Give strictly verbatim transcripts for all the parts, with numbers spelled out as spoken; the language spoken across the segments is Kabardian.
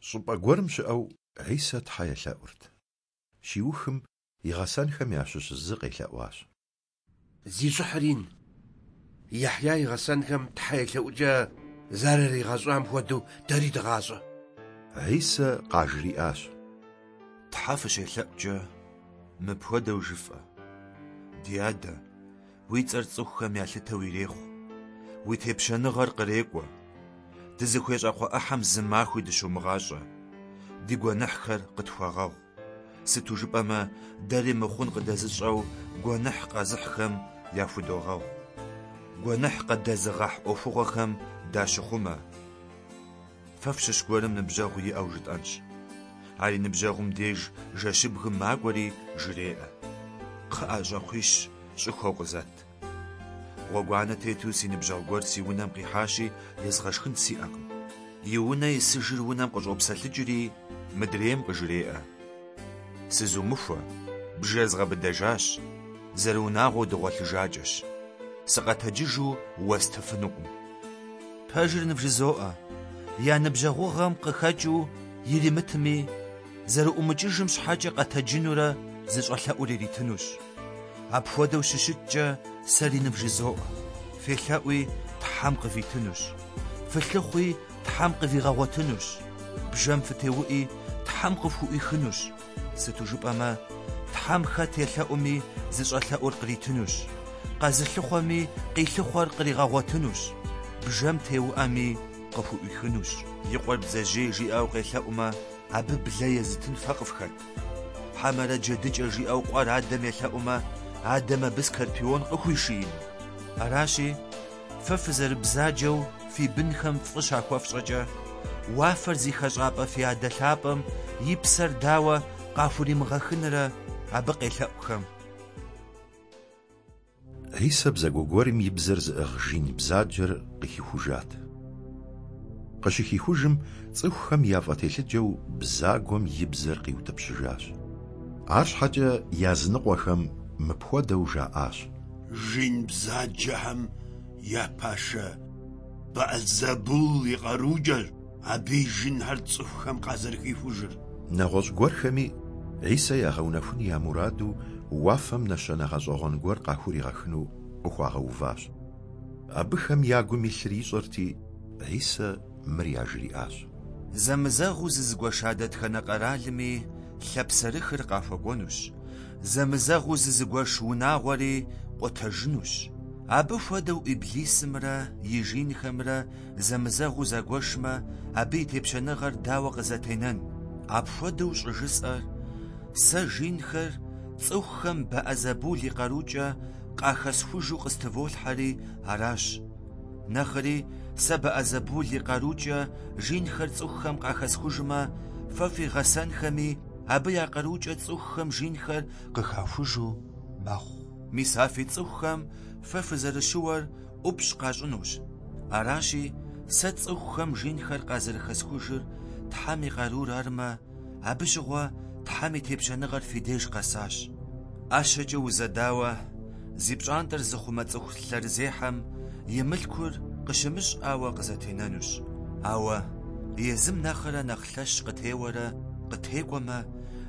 Щӏыпӏэ гуэрым щыӏэу, Хьисэ Тхьэ елъэӏурт. Щиухым, и гъэсэнхэм ящыщ зы къелъэӏуащ: Зи щӏыхьыр ин, Яхья и гъэсэнхэм тхьэ елъэӏукӏэ зэраригъэщӏам хуэдэу дэри дыгъащӏэ. Хьисэ къажриӏащ: Тхьэ фыщелъэӏукӏэ, мыпхуэдэу жыфӏэ: Ди Адэ, уи цӏэр цӏыхухэм ялъытэу ирехъу, уи тепщэныгъэр кърекӏуэ. Дызыхуей щӏакхъуэ ӏыхьэм зы махуи дыщумыгъащӏэ. Ди гуэныхьхэр къытхуэгъэгъу. Сыту жыпӏэмэ, дэри мыхъун къыдэзыщӏэу гуэныхь къэзыхьхэм яхудогъэгъу. Гуэныхь къыдэзыгъэхь ӏуэхугъуэхэм дащыхъумэ. Фэ фщыщ гуэрым ныбжьэгъу иӏэу жытӏэнщ. Ар и ныбжьэгъум деж жэщыбгым макӏуэри жреӏэ: Кхъыӏэ, щӏакхъуищ щӏыхуэу къызэт. Гъуэгуанэ тету си ныбжьэгъу гуэр си унэм къихьащи, езгъэшхын сиӏэкъым. И унэ исыжыр унэм къыщӏопсэлъыкӏри, мыдрейм къыжреӏэ: Сызумыхуэ, бжэр згъэбыдэжащ, зэрыунагъуэу дыгъуэлъыжакӏэщ. Сыкъэтэджыжу уэстыфынукъым. Пэжыр нывжызоӏэ, я ныбжьэгъугъэм къыхэкӏыу иримытми, зэрыӏумыкӏыжым щхьэкӏэ къэтэджынурэ зыщӏэлъэӏур иритынущ. Апхуэдэу щыщыткӏэ сэри нывжызоӏэ: фелъэӏуи, Тхьэм къывитынущ. Фылъыхъуи, Тхьэм къывигъэгъуэтынущ. Бжэм фытеуӏи, Тхьэм къыфхуӏуихынущ. Сыту жыпӏэмэ, Тхьэм хэт елъэӏуми зыщӏэлъэӏур къритынущ. Къэзылъыхъуэми къилъыхъуэр къригъэгъуэтынущ. Бжэм теуӏэми къыхуӏуихынущ. И къуэр бдзэжьей жиӏэу къелъэӏумэ, абы блэ езытын фэ къыфхэт? Хьэмэрэ джэдыкӏэ жиӏэу къуэр адэм елъэӏумэ, адэм абы скорпион къыхуишиину? Аращи, фэ фызэрыбзаджэу фи бынхэм фӏы щахуэфщӏэкӏэ, уафэр зи хэщӏапӏэ фи Адэ лъапӏэм и псэр дауэ къахуримыгъэхынрэ абы къелъэӏухэм? Хьисэ бзагуэ гуэрым и бзэр зыӏыгъ жин бзаджэр къыхихужат. Къыщыхихужым, цӏыхухэм яфӏэтелъыджэу бзагуэм и бзэр къиутӏыпщыжащ. Арщхьэкӏэ языныкъуэхэм мыпхуэдэу жаӏащ: Жин бзаджэхэм я пашэ Бэӏэлзэбул и къарукӏэщ абы и жинхэр цӏыхухэм къазэрыхихужыр. Нэгъуэщӏ гуэрхэми Хьисэ ягъэунэхун я мураду уафэм нэщэнэ гъэщӏэгъуэн гуэр къахуригъэхыну къыхуагъэуващ. Абыхэм я гум илъыр ищӏэрти, Хьисэ мыр яжриӏащ: Зэмызэгъыу зызыгуэша дэтхэнэ къэралми лъапсэрыхыр къахуэкӏуэнущ. Зэмызэгъыу зызыгуэш унагъуэри къутэжынущ. Абы хуэдэу Иблисымрэ и жинхэмрэ зэмызэгъыу загуэшмэ, абы и тепщэныгъэр дауэ къызэтенэн? Апхуэдэу щӏыжысӏэр сэ жинхэр цӏыхухэм Бэӏэзэбул и къарукӏэ къахэсхужу къыстыволъхьэри аращ. Нэхъри сэ Бэӏэзэбул и къарукӏэ жинхэр цӏыхухэм къахэсхужмэ, фэ фи гъэсэнхэми абы я къарукӏэ цӏыхухэм жинхэр къыхахужу мэхъу. Мис а фи цӏыхухэм фэ фызэрыщыуэр ӏупщӏ къащӏынущ. Аращи, сэ цӏыхухэм жинхэр къазэрыхэсхужыр Тхьэм и къарур армэ, абы щыгъуэ Тхьэм и тепщэныгъэр фи деж къэсащ. ӏэщэкӏэ узэдауэ зи пщӏантӏэр зыхъумэ цӏыху лъэрызехьэм и мылъкур къыщымыщӏауэ къызэтенэнущ. Ауэ езым нэхърэ нэхъ лъэщ къытеуэрэ къытекӏуэмэ,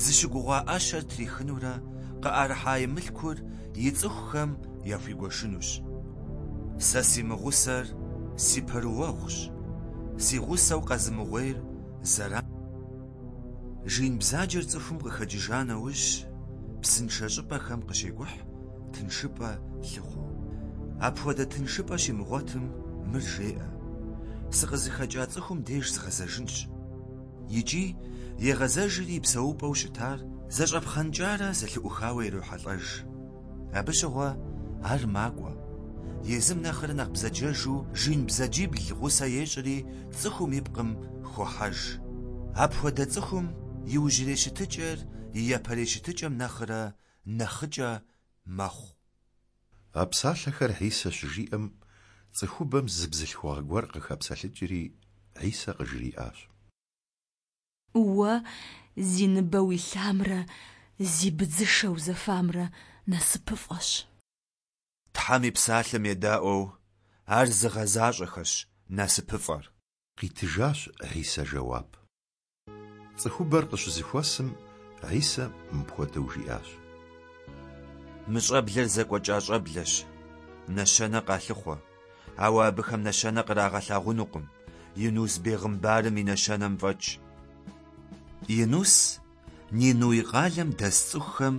зыщыгугъуа ӏэщэр трихынурэ къыӏэрыхьа и мылъкур и цӏыхухэм яхуигуэшынущ. Сэ си мыгъусэр си пэрыуэгъущ, си гъусэу къэзымыгъуейр зэран. Жин бзаджэр цӏыхум къыхэкӏыжа нэужь, псыншэ щӏыпӏэхэм къыщекӏухь тыншыпӏэ лъыхъуэу. Апхуэдэ тыншыпӏэ щимыгъуэтым мыр жеӏэ: Сыкъызыхэкӏа цӏыхум деж згъэзэжынщ. Икӏи егъэзэжри и псэупӏэу щытар зэщӏэпхъэнкӏарэ зэлъыӏухауэ ирохьэлӏэж. Абы щыгъуэ ар макӏуэ. Езым нэхърэ нэхъ бзаджэжу жин бзаджибл гъусэ ещӏри цӏыхум и пкъым хохьэж. Апхуэдэ цӏыхум иужьрей щытыкӏэр и япэрей щытыкӏэм нэхърэ нэхъыкӏэ мэхъу. А псалъэхэр Хьисэ щыжиӏэм, цӏыхубэм зы бзылъхугъэ гуэр къыхэпсэлъыкӏри, Хьисэ къыжриӏащ: Уэ зи ныбэ уилъамрэ зи быдзышэ узэфамрэ насыпыфӏэщ. Тхьэм и псалъэм едаӏуэу ар зыгъэзащӏэхэрщ насыпыфӏэр. Къитыжащ Хьисэ жэуап. Цӏыхубэр къыщызэхуэсым, Хьисэ мыпхуэдэу жиӏащ: Мы щӏэблэр зэкӏуэкӏа щӏэблэщ, нэщэнэ къалъыхъуэ, ауэ абыхэм нэщэнэ кърагъэлъагъунукъым, Инус бегъымбарым и нэщэнэм фӏэкӏ. Инус Нинуй къалэм дэс цӏыхухэм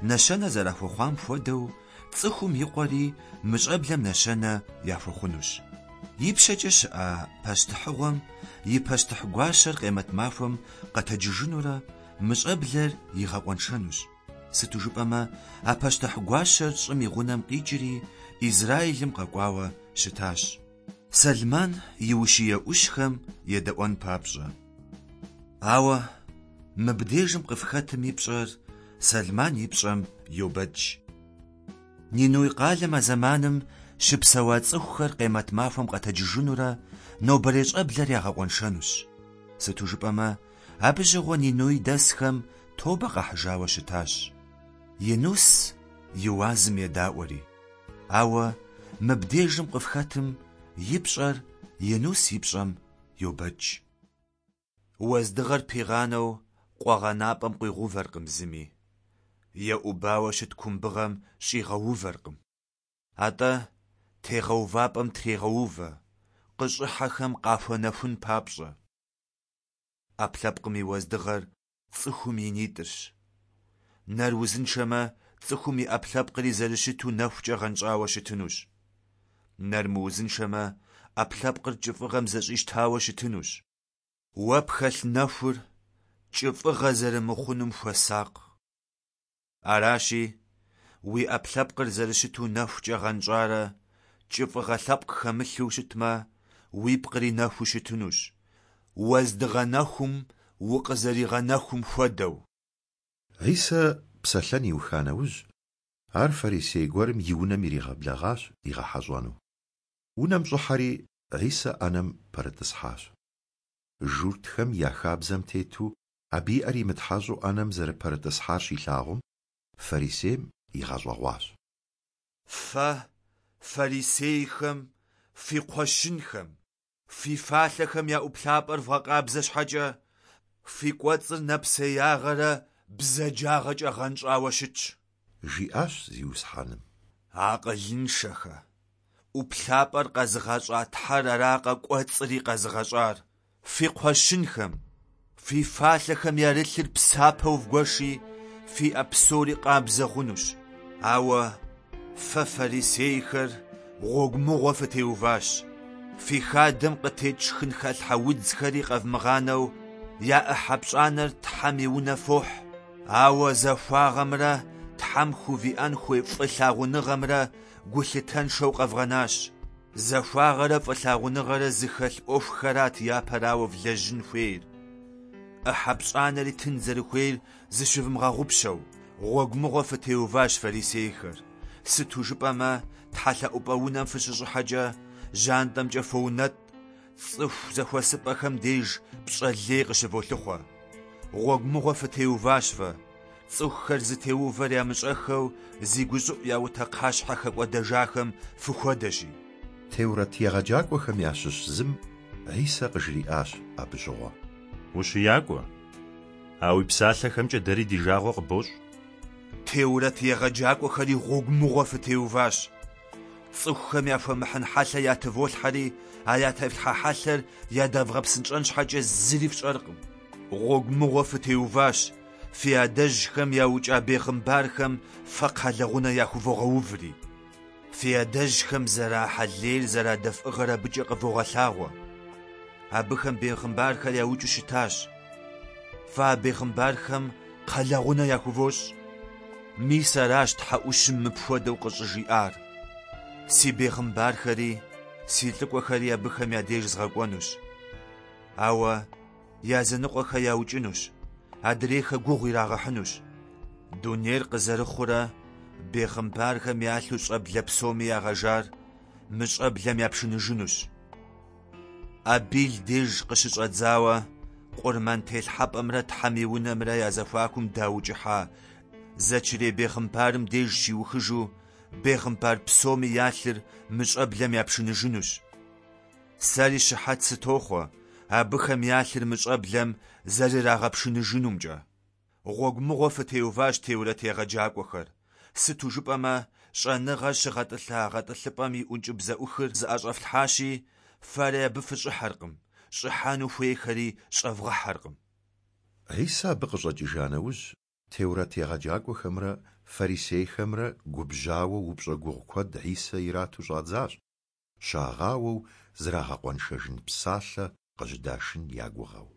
нэщэнэ зэрахуэхъуам хуэдэу, цӏыхум и къуэри мы щӏэблэм нэщэнэ яхуэхъунущ. Ипщэкӏэ щыӏэ пащтыхьыгъуэм и пащтыхь гуащэр къемэт махуэм къэтэджыжынурэ мы щӏэблэр игъэкъуэншэнущ. Сыту жыпӏэмэ, а пащтыхь гуащэр щӏым и гъунэм къикӏри Израилым къэкӏуауэ щытащ, Сэлмэн и ущие ӏущхэм едэӏуэн папщӏэ. Ауэ мыбдежым къыфхэтым и пщӏэр Сэлмэн и пщӏэм йобэкӏ. Нинуй къалэм а зэманым щыпсэуа цӏыхухэр къемэт махуэм къэтэджыжынурэ нобэрей щӏэблэр ягъэкъуэншэнущ. Сыту жыпӏэмэ, абы щыгъуэ Нинуй дэсхэм тобэ къахьыжауэ щытащ. Инус и уазым едаӏуэри. Ауэ мыбдежым къыфхэтым и пщӏэр Инус и пщӏэм йобэкӏ. Уэздыгъэр пигъанэу къуэгъэнапӏэм къуигъэувэркъым зыми, еӏубауэ щыт кумбыгъэм щӏигъэувэркъым. Атӏэ тегъэувапӏэм трегъэувэ, къыщӏыхьэхэм къахуэнэхун папщӏэ. Ӏэпкълъэпкъым и уэздыгъэр цӏыхум и нитӏырщ. Нэр узыншэмэ, цӏыхум и ӏэпкълъэпкъри зэрыщыту нэхукӏэ гъэнщӏауэ щытынущ. Нэр мыузыншэмэ, ӏэпкълъэпкъыр кӏыфӏыгъэм зэщӏищтауэ щытынущ. Уэ пхэлъ нэхур кӏыфӏыгъэ зэрымыхъунум хуэсакъ. Аращи, уи ӏэпкълъэпкъыр зэрыщыту нэхукӏэ гъэнщӏарэ кӏыфӏыгъэ лъэпкъ хэмылъу щытмэ, уипкъри нэхуу щытынущ, уэздыгъэ нэхум укъызэригъэнэхум хуэдэу. Хьисэ псэлъэн иуха нэужь, ар фарисей гуэрым и унэм иригъэблэгъащ игъэхьэщӏэну. Унэм щӏыхьэри, Хьисэ ӏэнэм пэрытӏысхьащ. Журтхэм я хабзэм тету абы и ӏэр имытхьэщӏу ӏэнэм зэрыпэрытӏысхьар щилъагъум, фарисейм игъэщӏэгъуащ. Фэ, фарисейхэм, фи кхъуэщынхэм, фи фалъэхэм я ӏуплъапӏэр вгъэкъабзэ щхьэкӏэ, фи кӏуэцӏыр нэпсеягъэрэ бзаджагъэкӏэ гъэнщӏауэ щытщ, жиӏащ Зиусхьэным. Акъылыншэхэ, ӏуплъапӏэр къэзыгъэщӏа Тхьэр аракъэ кӏуэцӏри къэзыгъэщӏар? Фи кхъуэщынхэм, фи фалъэхэм ярылъыр псапэу вгуэши, фи ӏэ псори къабзэ хъунущ. Ауэ фэ фарисейхэр гъуэгу мыгъуэ фытеуващ. Фи хадэм къытекӏ шхынхэлъхьэ удзхэри къэвмыгъанэу я ӏыхьэ пщӏанэр Тхьэм и унэ фохь. Ауэ захуагъэмрэ Тхьэм хувиӏэн хуей фӏылъагъуныгъэмрэ гулъытэншэу къэвгъэнащ. Захуагъэрэ фӏылъагъуныгъэрэ зыхэлъ ӏуэхухэрат япэрауэ влэжьын хуейр. ӏыхьэ пщӏанэри тын зэрыхуейр зыщывмыгъэгъупщэу, гъуэгу мыгъуэ фытеуващ фарисейхэр. Сыту жыпӏэмэ, тхьэлъэӏупӏэ унэм фыщыщӏыхьэкӏэ, жьантӏэмкӏэ фоунэтӏ, цӏыху зэхуэсыпӏэхэм деж пщӏэ лей къыщыволъыхъуэ. Гъуэгу мыгъуэ фытеуващ фэ, цӏыхухэр зытеувэр ямыщӏэххэу зи гущӏыӏу яутэ кхъащхьэ хэкӏуэдэжахэм фыхуэдэщи. Теурэт егъэджакӏуэхэм ящыщ зым Хьисэ къыжриӏащ абы щыгъуэ: Ущиякӏуэ, а уи псалъэхэмкӏэ дэри ди жагъуэ къыбощӏ. Теурэт егъэджакӏуэхэри гъуэгу мыгъуэ фытеуващ. Цӏыхухэм яхуэмыхьын хьэлъэ ятыволъхьэри, а ятефлъхьэ хьэлъэр ядэвгъэпсынщӏэн щхьэкӏэ зыри фщӏэркъым. Гъуэгу мыгъуэ фытеуващ, фи адэжьхэм яукӏа бегъымбархэм фэ кхъэлэгъунэ яхувогъэуври. Фи адэжьхэм зэрахьэ лейр зэрадэфӏыгъэр абыкӏэ къывогъэлъагъуэ. Абыхэм бегъымбархэр яукӏыу щытащ. Фэ а бегъымбархэм кхъэлэгъунэ яхувощӏ. Мис аращ Тхьэ ӏущым мыпхуэдэу къыщӏыжиӏар: Си бегъымбархэри, си лӏыкӏуэхэри абыхэм я деж згъэкӏуэнущ. Ауэ языныкъуэхэр яукӏынущ, адрейхэр гугъу ирагъэхьынущ. Дунейр къызэрыхъурэ бегъымбархэм ялъу щӏэблэ псоми ягъэжар мы щӏэблэм япшыныжынущ. Абил деж къыщыщӏэдзауэ къурмэн телъхьэпӏэмрэ Тхьэм и унэмрэ я зэхуакум даукӏыхьа Зэчрей бегъымбарым деж щиухыжу бегъымбар псоми я лъыр мы щӏэблэм япшыныжынущ. Сэри щыхьэт сытохъуэ абыхэм я лъыр мы щӏэблэм зэрырагъэпшыныжынумкӏэ. Гъуэгу мыгъуэ фытеуващ теурэт егъэджакӏуэхэр, сыту жыпӏэмэ щӏэныгъэр щыгъэтӏылъа гъэтӏылъыпӏэм и ӏункӏыбзэӏухыр зыӏэщӏэфлъхьащи, фэри абы фыщӏыхьэркъым, щӏыхьэну хуейхэри щӏэвгъэхьэркъым. Хьисэ абы къыщӏэкӏыжа нэужь, теурэт егъэджакӏуэхэмрэ фарисейхэмрэ губжьауэ упщӏэ гугъу куэд Хьисэ ирату щӏадзащ, щагъауэу зрагъэкъуэншэжын псалъэ къыжьэдашын я гугъэу.